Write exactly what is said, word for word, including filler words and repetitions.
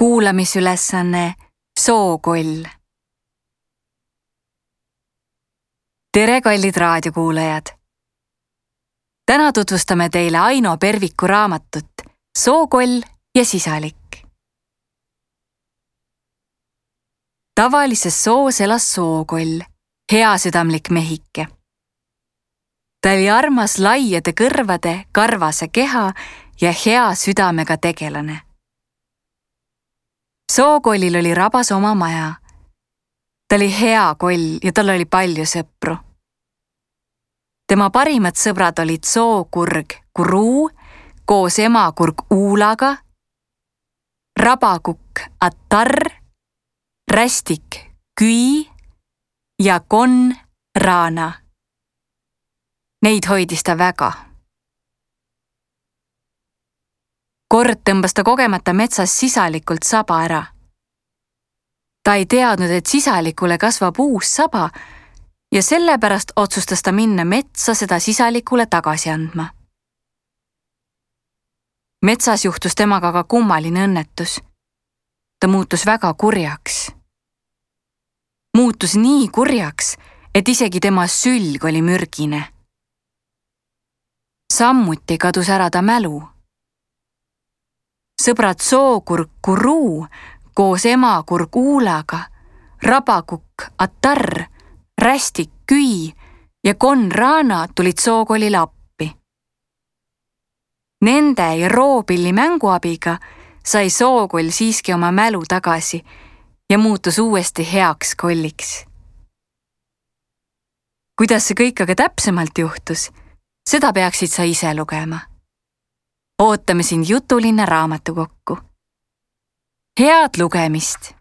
Kuulamisülesanne Sookoll. Tere, kallid raadiokuulajad! Täna tutvustame teile Aino Perviku raamatut Sookoll ja sisalik. Tavalises soos elas Sookoll, heasüdamlik mehike. Ta oli armas laiade kõrvade, karvase keha ja hea südamega tegelane. Sookollil oli rabas oma maja. Ta oli hea koll ja tal oli palju sõpru. Tema parimad sõbrad olid sookurg Kuruu koos emakurg Uulaga, rabakukk Atar, rästik Küi ja konn Raana. Neid hoidis ta väga. Kord tõmbas ta kogemata metsas sisalikult saba ära. Ta ei teadnud, et sisalikule kasvab uus saba ja sellepärast otsustas ta minna metsa seda sisalikule tagasi andma. Metsas juhtus temaga ka kummaline õnnetus. Ta muutus väga kurjaks. Muutus nii kurjaks, et isegi tema sülg oli mürgine. Sammuti kadus ära ta mälu. Sõbrad sookurg Kuruu koos emakurg Uulaga, rabakukk Atar, rästik Küi ja konn Raana tulid Sookollile appi. Nende ja roopilli mänguabiga sai Sookoll siiski oma mälu tagasi ja muutus uuesti heaks kolliks. Kuidas see kõik aga täpsemalt juhtus, seda peaksid sa ise lugema. Ootame sind Jutulinna raamatukokku. Head lugemist!